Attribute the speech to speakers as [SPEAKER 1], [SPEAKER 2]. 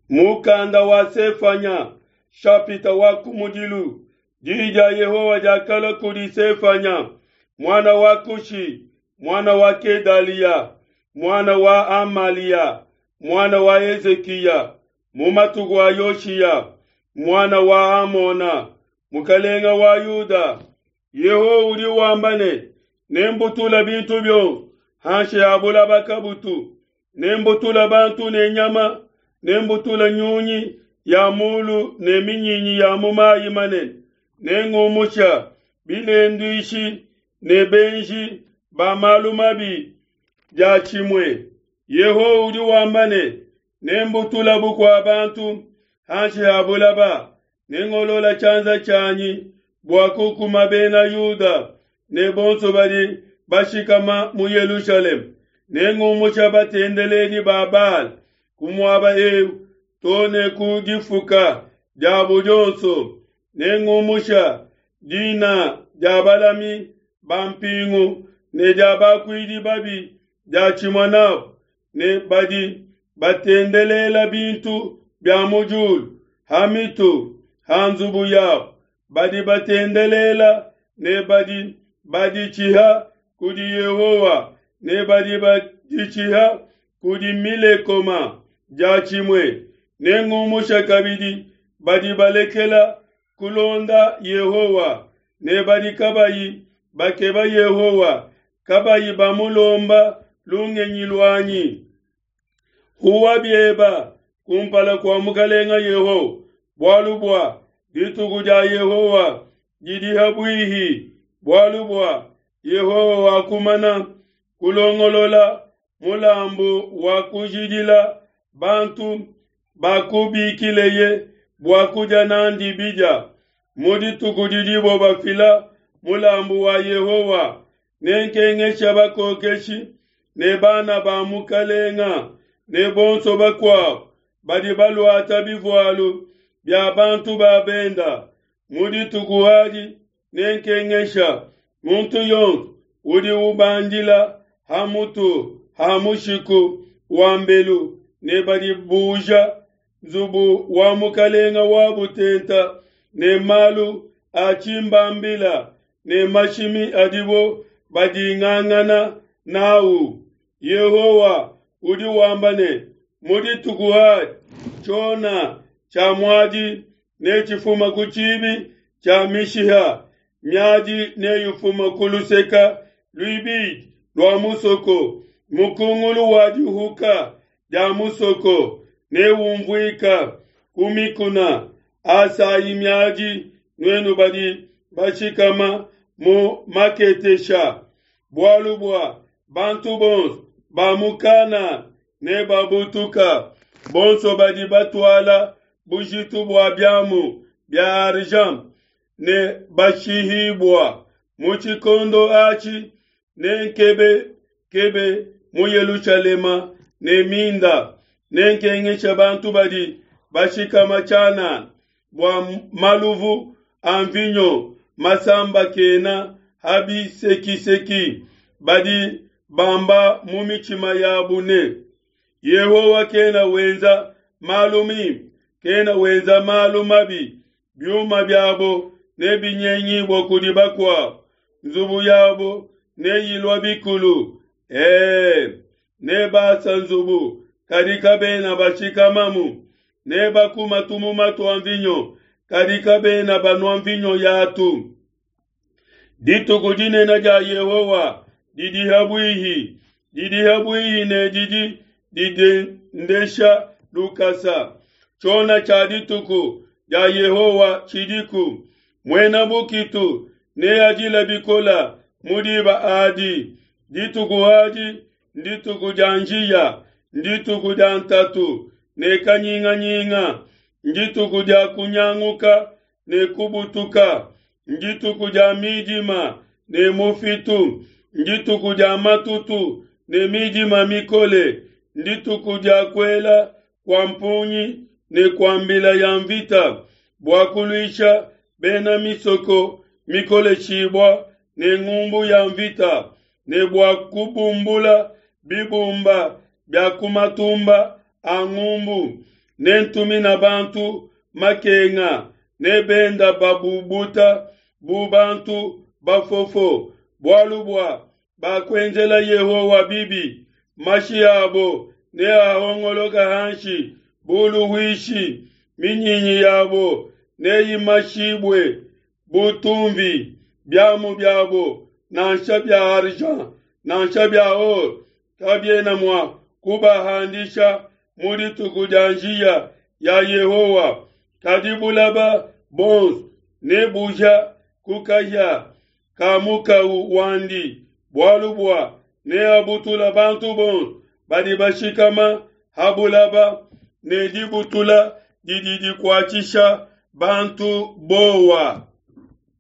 [SPEAKER 1] Mukanda wa Sefanya, shapita wa kumudilu. Diyi dia Yehowa diakalua kudi Sefanya, muana wa Kushi, muana wa Kedaliya, muana wa Amalia, muana wa Hezikiya, mu matuku a Yoshiya, muana wa Amona, mukalenge wa Yuda. Yehowa udi wamba ne, Nembutule bintu bionso hanshi ha bulaba kabutu, nembutule bantu ne nyama, nembutule nyunyi ya mulu ne minyinyi ya mu mayi manene, nengumusha bilenduishi ne benji ba malu mabi diatshimue. Yehowa udi wamba ne, Nembutule bukua bantu hanshi ha bulaba, nengolola tshianza tshianyi bua kukuma bena Yuda ne bonso badi bashikama mu Yelushalema, nengumusha batendeledi ba Baala ku muaba eu to ne ku difuka diabo dionso, nengumusha dina dia balami ba mpingu ne dia bakuidi babi diatshimue nabo, ne badi batendelela bintu bia mu diulu ha mitu ha nzubu yabo, badi batendelela ne badi baditshiha kudi Yehowa ne badi baditshiha kudi Milekoma diatshimue. Nengumusha kabidi badi balekela kulonda Yehowa ne badi kabayi bakeba Yehowa, kabayi bamulomba lungenyi luanyi. Huwa bieba kumpala kua Mukalenga Yehowa, bualu bua dituku dia Yehowa didi ha buihi, bualu bua Yehowa wakumana kulongolola mulambu wa kujidila bantu bakubikileye bua kudia n'andi bidia. Mu dituku didibo bafila mulambu wa Yehowa, nenkengesha bakokeshi ne bana ba mukalenga ne bonso bakuabo badi baluata bivualu bia bantu ba benda. Mu dituku adi nenkengesha muntu yonso udi ubandila ha mutu ha mushiku wa mbelu ne badi buja nzubu wa mukalenga wa butenta ne malu a tshimbambila ne mashimi adibo badingangana nawu. Yehowa udi wamba ne, mu dituku adi tshiona tshia muadi netshifuma ku tshibi tshia mishiha, miadi neyifuma ku luseka luibidi lua musoko, mukungulu wa dihuka dia musoko newumvuika ku mikuna. Asayi miadi, nuenu badi bashikama mu Maketesha, bualu bua bantu bonso ba mu Kana nebabutuka, bonso badi batuala bujitu bua biamu bia argent ne bashihibua. Mu tshikondo atshi nenkebe kebe mu Yelushalema ne minda, nenkengesha bantu badi bashikama tshianana bua maluvu a mvinyo masambakena ha bisekiseki, badi bamba mu mitshima yabu ne, Yehowa kena wenza malu mimpe, kena wenza malu mabi. Biuma biabo nebinyengibue kudi bakuabo, nzubu yabo neyilua bikulu. E, nebasa nzubu, kadi kabena bashikamamu, nebakuma tumuma tua mvinyo, kadi kabena banua mvinyo yatu. Dituku dinene dia Yehowa didi ha buihi, didi ha buihi ne didi didendesha lukasa. Tshiona tshia dituku dia Yehowa tshidiku, muena bukitu neadile bikole mu diba adi. Dituku adi ndituku dia njiya, ndituku dia ntatu ne kanyinganyinga, ndituku dia kunyanguka ne kubutuka, ndituku dia midima ne mufitu, ndituku dia matutu ne midima mikole, ndituku dia kuela kua mpungi ne kua mbila ya mvita, bua kuluisha bena misoko mikoleshibua ne ngumbu ya mvita, ne bua kubumbula bibumba bia ku matumba a ngumbu. Nentumina bantu makenga, ne benda babubuta bu bantu bafofo, bualu bua bakuenzela Yehowa bibi, mashi abo neahongoloke hanshi bu luhuishi, minyinyi yabo neyimashibue bu tumvi, biamu biabo, nansha bia argent nansha bia or, kabiena mua kubahandisha mu dituku dia njiya ya Yehowa. Kadi bulaba bonso nebuhia ku kahia ka mukau wandi, bualu bua neabutula bantu bonso badi bashikama ha bulaba, ne dibutula didi dikuatshisha bantu bowa.